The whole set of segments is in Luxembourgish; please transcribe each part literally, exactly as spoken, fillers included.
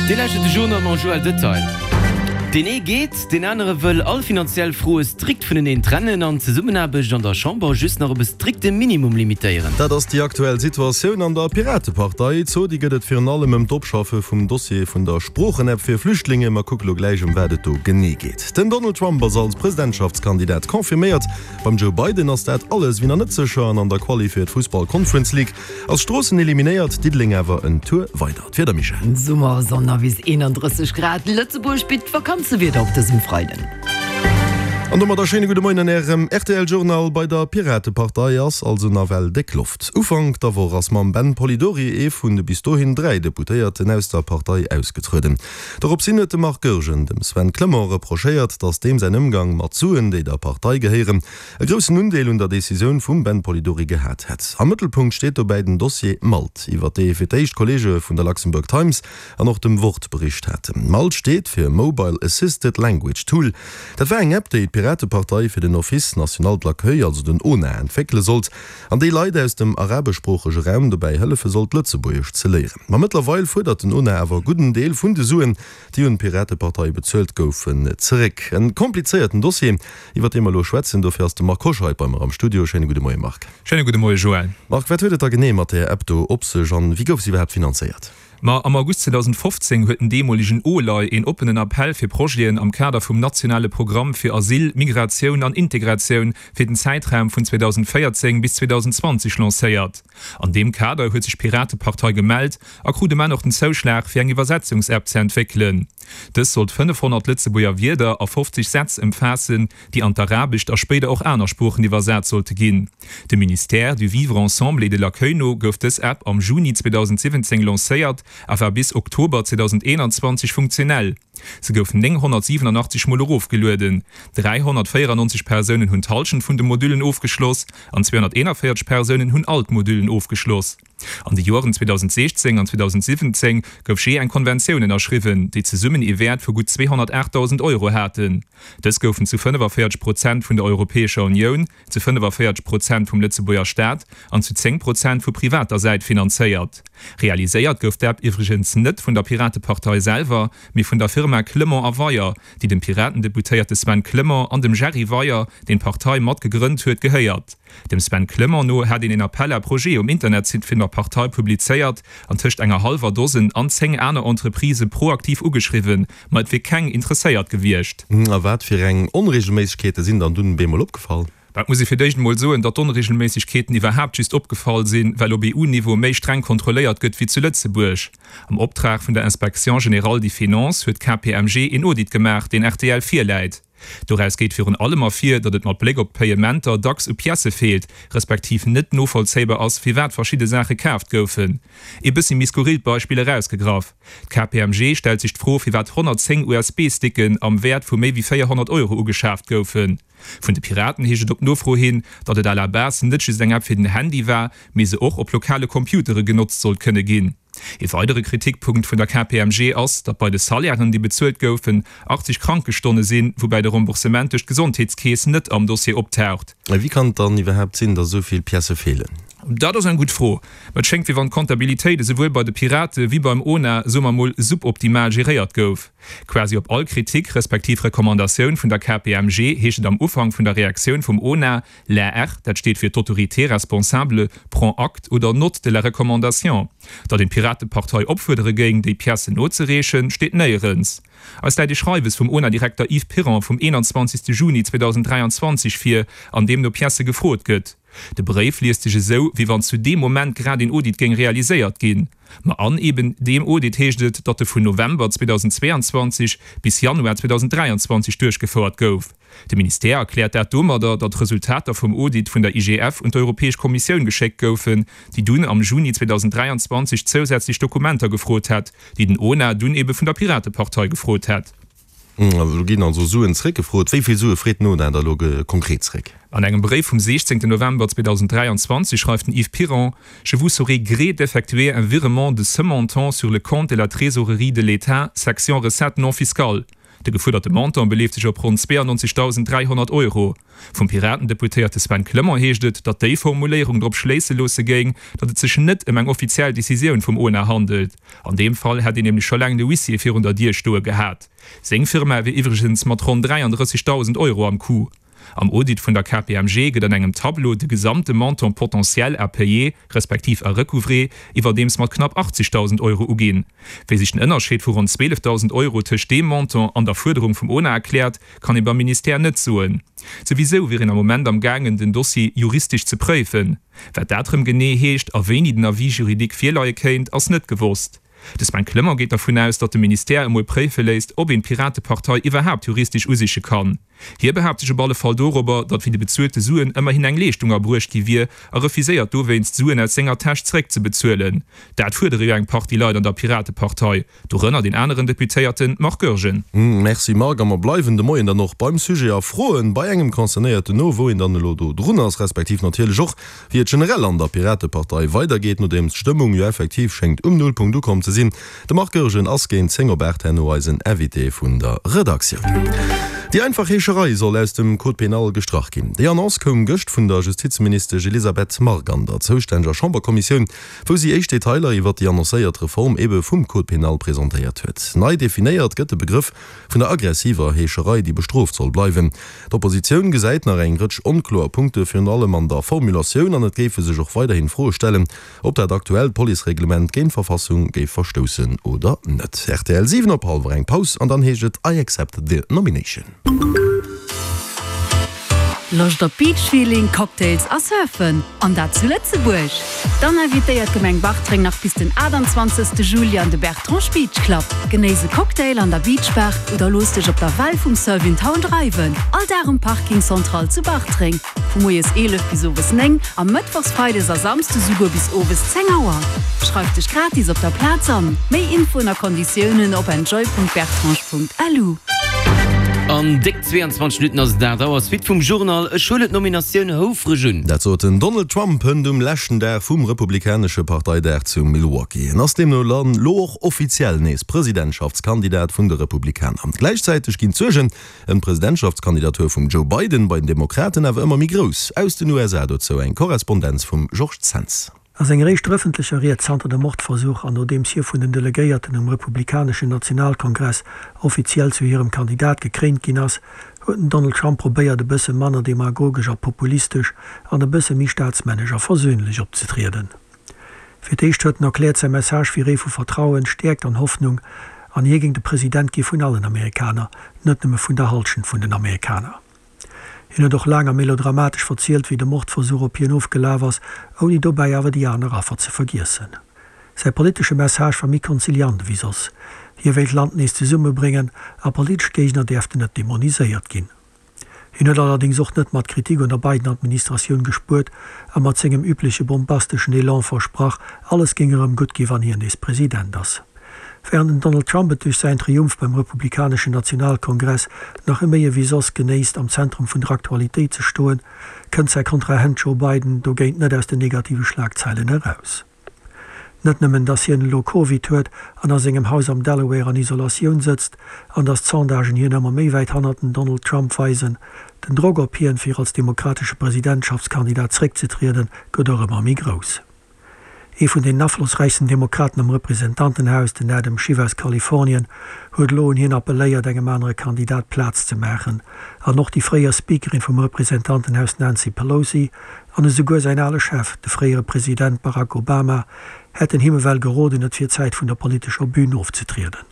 Dir lauschtert de Journal mam Joël Detail. Deen ee geet, deen anere wëll all finanziell Froe strikt vuneneen trennen an d'Zesummenaarbecht an der Chamber just nach op e strikte Minimum limitéieren. Dat ass déi aktuell Situatioun an der Piratepartei. Zodi gëtt et virun allem ëm d'Opschaffe vum Dossier vun der Sproochenapp fir Flüchtlinge. Mer kucke lo gläich ëm wat et do genee geet. Den Donald Trump ass als Presidentschaftskandidat confirméiert. Beim Joe Biden ass dat alles wéi nach net sécher an an der Quali fir d'Fussball Conference League ass Stroossen eliminéiert, Diddeleng awer en Tour weider. D'Wieder, Michèle? Summersonn a bis eenandrësseg Grad, Lëtzebuerg bitt Vakanzewieder op dësem Freiden. An domat e schéine gudde Moien an Ärem R T L Journal. Bei der Piratepartei ass also nawell déck Loft. Ufank der Woch ass mam Ben Polidori ee vun de bis dohin dräi Deputéierten aus der Partei ausgetrueden. Doropshin huet de Marc Goergen dem Sven Clement reprochéiert, datt deem säin Ëmgang mat Suen, déi der Partei gehéieren, e groussen Undeel un der Decisioun vum Ben Polidori gehat hätt. Am Mëttelpunkt steet dobäi den Dossier MALT, iwwer dee fir d'éischt Kolleege vun der Luxembourg Times an och dem Wort bericht haten. MALT steet fir Mobile Assisted Language Tool. Dat war eng App, déi d'Piratepartei fir den Office national de l'accueil, also den O N A, entwéckele sollt an déi Leit aus dem arabeschsproochege Raum dobäi hëllefe sollt, Lëtzebuergesch ze léieren. Ma mëttlerweil fuerdert den O N A awer e gudden Deel vun de Suen, déi un d'Piratepartei bezuelt goufen, zeréck. E komplizéierten Dossier, iwwer dee mer elo schwätzen. Dofir ass de Marc Hoscheid bei mer am Studio. Schéine gudde Moie Marc. Schéine gudde Moie Joël. Marc, wat huet et da genee mat där App do op sech an wéi gouf se iwwerhaapt finanzéiert? Ma am August zweedausendfofzéng huet den deemolegen OLAI een oppenen Appell fir Projeten am Kader vum nationale Programm fir Asyl, Migratioun an Integratioun fir den Zäitraum vun zweedausendvéierzéng bis zweedausendzwanzeg lancéiert. An deem Kader huet sech d'Piratepartei gemellt a krut um Enn och den Zouschlag fir eng Iwwersetzungsapp ze entwéckelen. Dës sollt fënnefhonnert Lëtzebuerger Wierder a fofzeg Sätz ëmfaassen, déi an d'Arabescht a spéider och aner Sproochen iwwersat sollte ginn. Dem Ministère du Vivre ensemble et de l'accueil no gouf dës App am Juni zweedausendsiwwenzéng lancéiert a war bis Oktober zweedausendeenanzwanzeg funktionell. Se gouf nénghonnertsiwwenenachtzeg Mol erofgelueden. dräihonnertvéierennonzeg Persounen hunn d'Hallschent vun de Modüllen ofgeschloss an zweehonnerteenavéierzeg Persounen hunn all d'Modüllen ofgeschloss. An de Joren zweedausendsiechzéng an zweedausendsiwwenzéng gouf jee eng Konventioun ënnerschriwwen, déi zesummen ee Wäert vu gutt zweehonnertaachtdausend Euro haten. Dës goufen zu fënnefavéierzeg Prozent vun der Europäescher Unioun, zu fënnefavéierzeg Prozent vum Lëtzebuerger Staat an zu zéng Prozent vu privater Säit finanzéiert. Realiséiert gouf d'App iwwregens net vun der Piratepartei selwer, mee vun der Firma Clement a Weyer, déi dem Piratendeputéierte Sven Clement an dem Jerry Weyer, deen d'Partei mat gegrënnt huet, gehéiert. Dem Sven Clement no hätt een een Appel à projets um Internetsite vun der Partei publizéiert an tëscht enger hallwer Dosen an zéng aner Entreprisë proaktiv ugeschriwwen, ma et wier keng interesséiert gewiescht. A wat fir eng Onreegelméissegkeete sinn dann dunn bemol opgefall? Et muss ee fir d'éischt emol soen, datt d'Onreegelméissegkeeten iwwerhaapt just opgefall sinn, well op E U-Niveau méi streng kontrolléiert gëtt wéi zu Lëtzebuerg. Am Optrag vun der Inspection générale des finances huet K P M G een Audit gemaach, deen R T L virläit. Doraus geet virun allem ervir, datt et mat Bléck op d'Payementer dacks u Piècë feelt, respektiv net novollzéibar ass, firwat verschidde Saache kaaft goufen. Ee bëssi méi skurrillt Beispill erausgegraff, D'K P M G stellt sech d'Fro, firwat honnertzéng U S B-Sticken am Wäert vu méi wéi véierhonnert Euro ugeschaaft goufen. Vun de Piraten heescht et op Nofro hin, datt et à la base net just eng App fir den Handy war, mee se och op lokale Computere genotzt sollt kënne ginn. Ee weidere Kritikpunkt vun der K P M G ass, datt bei de Salairen, déi bezuelt goufen, achtzeg Krankestonne sinn, woubäi de Remboursement duerch d'Gesondheetskeess net am Dossier optaucht. Wéi kann et dann iwwerhaapt sinn, datt esou vill Piècë feelen? Dat ass eng gutt Fro. Ma et schéngt, wéi wann d'Kontabilitéit esouwuel bei de Pirate wéi beim O N A, soe mer mol, suboptimal geréiert gouf. Quasi op all Kritik respektiv Recommandatioun vun der K P M G heescht et am Ufank vun der Reaktioun vum O N A, L'A R, dat steet fir d'Autorité responsable, prend acte oder note de la recommandation. Datt een d'Piratepartei opfuerdere géing, déi Piècen nozereechen, steet néierens. Eis läit ee Schreiwes vum O N A-Direkter Yves Piron vum eenanzwanzegste Juni zweedausendräianzwanzeg vir, an deem no Piècë gefrot gëtt. De Bréif liest sech esou, wéi wann zu deem Moment grad een Audit géing realiséiert ginn. Ma an eben deem Audit heescht et, datt e vun November zweedausendzweeanzwanzeg bis Januar zweedausenddräianzwanzeg duerchgefouert gouf. De Ministère erkläert dat domadder, datt d'Resultater vum Audit vun der I G F un d'Europäesch Kommissioun geschéckt goufen, déi dunn am Juni zweedausenddräianzwanzeg zousätzlech Dokumenter gefrot hätt, déi den O N A dunn ebe vun der Piratepartei gefrot hätt. Do ginn also Suen zeréckgefrot. Wéi vill Sue freet den O N A da lo konkret zeréck? An engem Bréif vum siechzéngten November zweedausenddräianzwanzeg schreift den Yves Piron, Je vous saurais gré d'effectuer un virement de ce montant sur le compte de la trésorerie de l'État, section recettes non fiscales. De gefuerderte Montant beleeft sech op ronn zweeannonzegdausend dräihonnert Euro. Vum Piraten-Deputéierte Sven Clement heescht et, datt déi Formuléierung drop schléisse loosse géing, datt et sech net ëm eng offiziell Decisioun vum ONA handelt. An deem Fall hätt een nämlech scho laang de Huissier virun der Dier stoe gehat. Seng Firma wier iwwregens mat ronn dräiandrëssegdausend Euro am Coup. Am Audit vun der K P M G gëtt an engem Tableau de gesamte Montant potentiel à payer, respektiv à recouvrer, iwwerdeems mat knapp achtzegdausend Euro uginn. Wéi sech den Ënnerscheed vu ronn zwielefdausend Euro tëscht deem Montant an der Fuerderung vum ona erkläert, kann ee beim Ministère net soen. Souwisou wier een am Moment am gaangen, den Dossier juristesch ze préifen. Wat dat rëm genee heescht a wéini den Avis juridique virleie kéint, ass net gewosst. De Sven Clement geet dervun aus, datt de Ministère emol préife léisst, ob een d'Piratepartei iwwerhaapt juristesch usiche kann. Hie behaapt sech op alle Fall dorobber, datt fir déi bezuelte Suen ëmmerhin eng Leeschtung erbruecht gi wier a refuséiert dowéinst, d'Suen aus senger Täsch zeréckzebezuelen. Dat fuerdere jo eng Partie Leit an der Piratepartei, dorënner deen aneren Deputéierte Marc Goergen. Merci Marc, a mer bleiwen de Moien dann och beim Sujet a froen bei engem Concernéierten no, wou een dann elo do drun ass, respektiv natierlech och, wéi et generell an der Piratepartei weidergeet, nodeems d'Stëmmung jo effektiv schéngt um Nullpunkt ukomm ze sinn. De Marc Goergen ass géint zéng op aacht herno eisen Invité vun der Redaktioun. Déi einfach Heescherei soll aus dem Code pénal gestrach ginn. Déi Annonce koum gëscht vun der Justizministesch Elisabeth Margue an der zoustänneger Chamberkommissioun, wou si éischt Detailer iwwert déi annoncéiert Reform ebe vum Code pénal presentéiert huet. Nei definéiert gëtt de Begrëff vun der aggressiver Heescherei, déi bestrooft soll bleiwen. D'Oppositioun gesäit nach eng Rëtsch onkloer Punkte virun allem an der Formulatioun an et géife sech och weiderhin Froe stellen, ob dat aktuellt Policereglement géint d'Verfassung géif verstoussen oder net. Rtl, siwen op hallwer eng Paus an dann heescht et I accept the nomination. Loscht op Beach-Feeling, Cocktails a Surfen? An dat zu Lëtzebuerg? Dann invitéiert d'Gemeng Bartreng nach bis den aachtanzwanzegste Juli an de Bertrange Beach Club. Genéiss e Cocktail an der Beach Bar oder looss dech op der Well vum Surf in Town dreiwen. All Dag um Parking Central zu Bartreng, vu moies eelef bis owes néng a mëttwochs, freides a samsdes esouguer bis owes zéng Auer. Schreif dech gratis op der Plaz an. Méi Infoen a Konditiounen op enjoy.bertrange.lu. An déck zweeanzwanzeg Minutten ass et aacht Auer. Suite vum Journal, Ech huelen d'Nominatioun houfreg un. Dat sot den Donald Trump hënt um leschten Dag vum republikanesche Parteidag zu Milwaukee. En ass deemno dann elo och offiziell nees Presidentschaftskandidat vun de Republikaner. Gläichzäiteg ginn d'Suergen ëm d'Presidentschaftskandidatur vum Joe Biden bei den Demokraten awer ëmmer méi grouss. Aus den U S A dozou eng Korrespondenz vum Georges Zens. A senger éischter ëffentlecher Ried zanter dem Mordversuch an nodeems hie vun den Delegéierten um republikaneschen Nationalkongress offiziell zu hirem Kandidat gekréint ginn ass, huet den Donald Trump probéiert e bësse manner demagogesch a populistesch an e bësse méi staatsmännesch a versöhnlech opzetrieden. Fir d'éischt huet en erkläert, säi Message wier ee vu Vertrauen, Stäerkt an Hoffnung an hie géing de President gi vun allen Amerikaner, net nëmme vun der Hallschent vun den Amerikaner. Hien huet och laang a melodramatesch verzielt, wéi de Mordversuch op hien ofgelaf ass, ouni dobäi awer déi aner Affer ze vergiessen. Säi politesche Message war méi konziliant ewéi soss, Hie wéilt d'Land nees zesummebréngen a politesch Géigner däerften net demoniséiert ginn. Hien huet allerdéngs och net mat Kritik un der Biden-Administratioun gespuert a mat sengem übleche bombasteschen Elan versprach, alles géing erëm gutt gi wann hien nees President ass. Wärend den Donald Trump et duerch säin Triumph beim republikaneschen Nationalkongress nach méi ewéi soss genéisst, am Zentrum vun der Aktualitéit ze stoen, kënnt säi Kontrahent Joe Biden dogéint net aus den negative Schlagzeilen eraus. Net nëmmen, datt hien elo Covid huet an a sengem Haus am Delaware an Isolatioun sëtzt an datt d'Sondagen hien ëmmer méi wäit hannert den Donald Trump weisen, den Drock op hien, fir als demokratesche Presidentschaftskandidat zeréckzetrieden, gëtt och ëmmer méi grouss. Ee vun den aflossräichsten Demokraten am Representantenhaus, den Adam Schiff aus Kalifornien, huet elo un hien appelléiert, engem anere Kandidat Plaz ze maachen. An och déi fréier Speakerin vum Representantenhaus Nancy Pelosi an esouguer säin ale Chef, de fréiere President Barack Obama, hätten him ewell geroden, et wier Zäit vun der politescher Bün ofzetrieden.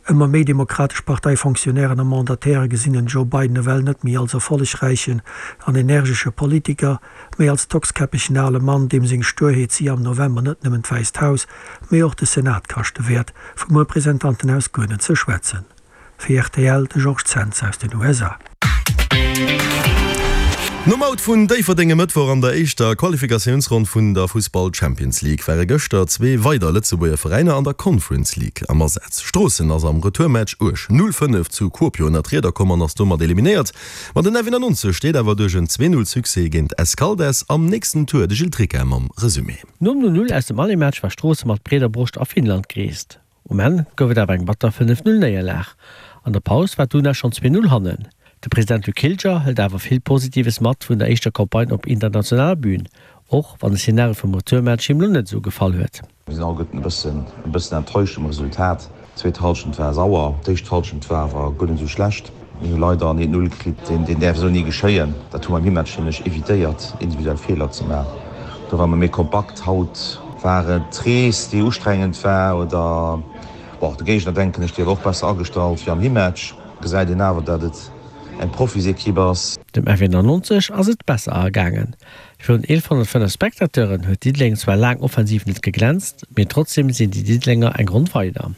Ëmmer méi demokratesch Parteifonctionnairen a Mandataire gesinn den Joe Biden ewell net méi als erfollegräichen an energesche Politiker, mee als tockskäppegen ale Mann, deem seng Sturheet si am November net nëmmen d'Wäisst Haus, mee och de Senat kaschte wäert, vum Representantenhaus guer net ze schwätzen. Fir rtl, de Georges Zens aus den U S A. Nom Out vun Déifferdeng e Mëttwoch an der éischter Qualifikatiounsronn vun der Fussball-Champions League ware gëschter zwee weider Lëtzebuerger Veräiner an der Conference League am Asaz. Stroossen ass am Retourmatch uerg null fënnef zu Kuopio ënner d'Rieder komm an ass domat eliminéiert. Ma den F eenannonzeg steet awer duerch en zwee null Succès géint Escaldes am nächsten Tour. De Gilles Tricca mam Resumé. Nom null null aus dem Aller-Match war Stroosse mat breeder Broscht a Finnland gereest. Um Enn gouf et awer eng batter fënnef null Néierlag. An der Paus war d'Una schonn zwee Null hannen. De President Luc Hilger hëlt awer vill Positives mat vun der éischter Campagne op internationaler Bün, och wann de Szenario vum Retourmatch him lo net esou gefall huet. Mir sinn alleguerten e bëssen e bëssen enttäuscht um Resultat. D'zweet Hallschent war sauer, d'éischt Hallschent war awer guer net esou schlecht. Mir hu leider en eent Null kritt, deen deen däerf esou ni geschéien. Dat hu mer am Himatch nämlech evitéiert, individuell Feeler ze maachen. Do ware mer méi kompakt. Haut war et d'Rees, déi ustrengend war oder bon, de Géigner, denken ech, dee war och besser agestallt wéi am Himatch. Gesäit een awer, dat et eng Profisekipp ass. Dem F eenannonzeg ass et besser ergaangen. Virun eelefhonnertfënnef Spectateuren huet Diddeleng zwar laang offensiv net geglänzt, mee trotzdeem sinn déi Diddelenger eng Ronn weider.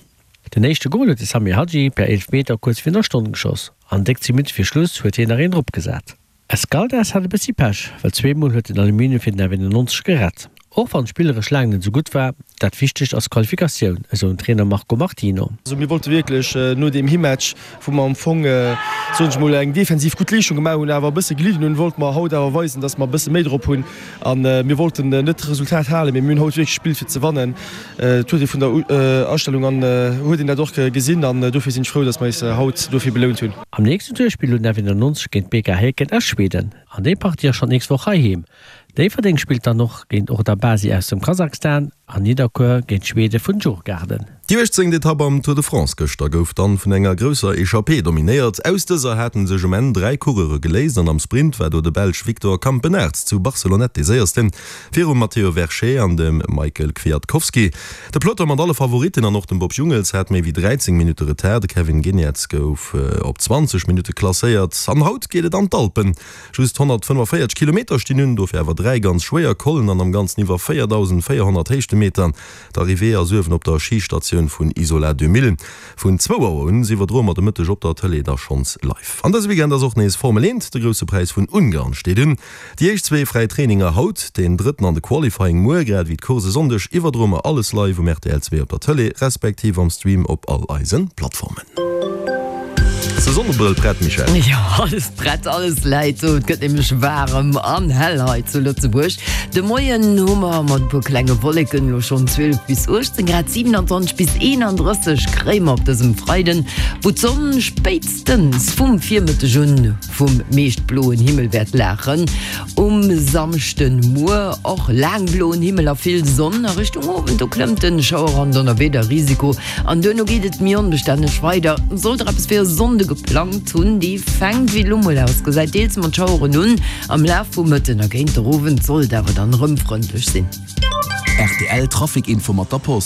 Den éischte Gol huet de Samir Hadji per Eelefmeter kuerz virun der Stonn geschoss an déck zéng Minutte fir Schluss huet hien nach een drop gesat. Escaldes hat e bëssi Pech, well zweemol huet den Aluminium fir den F eenannonzeg gerett. Och wann d'spilleresch laang net esou gutt war, dat Wichtegt ass d'Qualifikatioun, esou den Trainer Marco Martino. Also mir wollte wierklech no deem Himatch, wou mer am Fong, soen ech mol, eng defensiv gutt Leeschtung gemaach hunn, awer e bësse gelidden hunn, wollte mer haut awer weisen, dass mer e bësse méi drop hunn. A mir wollten net d'Resultat halen, mee mir hunn haut wierklech gespillt fir ze wannen. Et huet ee vun der Astellung an huet een dat och gesinn an dofir sinn ech frou, dass mer eis haut dofir belount hunn. Am nächsten Tour spillt elo den F eenannonzeg géint B K Häcken aus Schweden an déi Partie ass schonn d'nächst Woch heiheem. Déifferdeng spillt dann och géint Ordabasy aus dem Kasachstan an Nidderkuer géint d'Schwede vun Djurgarden. Déi uechtzéngt Etapp am Tour de France gëschter gouf dann vun enger grousser Echappée dominéiert. Aus dëser haten sech um Enn dräi Coureure geléist an am Sprint war do de Belsch Victor Campenaerts zu Barcelonnette dee séiersten, virum Matteo Vercher an dem Michael Kwiatkowski. De Peloton mat alle Favoritten an och dem Bob Jungels hat méi wéi dräizéng Minutte Retard. De Kevin Geniets gouf op zwanzeg Minutte klasséiert. An haut geet et an d'Alpen. Just honnertfënnefenvéierzeg Kilometer stinn un, dofir awer dräi ganz schwéier Collen an am Ganzen iwwer véierdausendvéierhonnert Héichtemeter. D'Arrivée ass uewen op der Schistatioun vun Isola deux mille. Vun zwou Auer un iwwerdroe mer de Mëtteg op der Tëlee da schonns live. An dëse Weekend ass och nees Formel eent, de Grousse Präis vun Ungarn steet un. Déi éischt zwee fräi Traininger haut, deen drëtten an de Qualifying muer, grad ewéi d'Course e Sonndeg iwwerdroe mer alles live um R T L zwee op der Tëlee, respektiv am Stream op all eise Plattformen. Ass de Sonnebrëll prett, Michèle? Jo, alles prett, alles läit do. Et gëtt nämlech waarem an hell hei zu Lëtzebuerg. De Moien hu mer mat e puer klenge Wolleken elo schonn zwielef bis uechtzéng Grad, siewenanzwanzeg bis eenandrësseg kréie mer op dësem Freiden, wou d'Sonn spéitstens vum Virmëtteg un vum meescht bloen Himmel wäert laachen. Um Samschden muer och laang bloen Himmel a vill Sonn. A Richtung Owend, do klëmmt den Schauer an Donnerwiederrisiko an duerno geet et méi onbestänneg weider. Sollt der eppes fir e Sonnde geplangt hunn, déi fänkt, wéi et elo mol ausgesäit, deels mat Schaueren un. Am Laf vum Mëtten a géint der Owend sollt awer dann erëm frëndlech sinn. R T L Trafic Info mat der Post.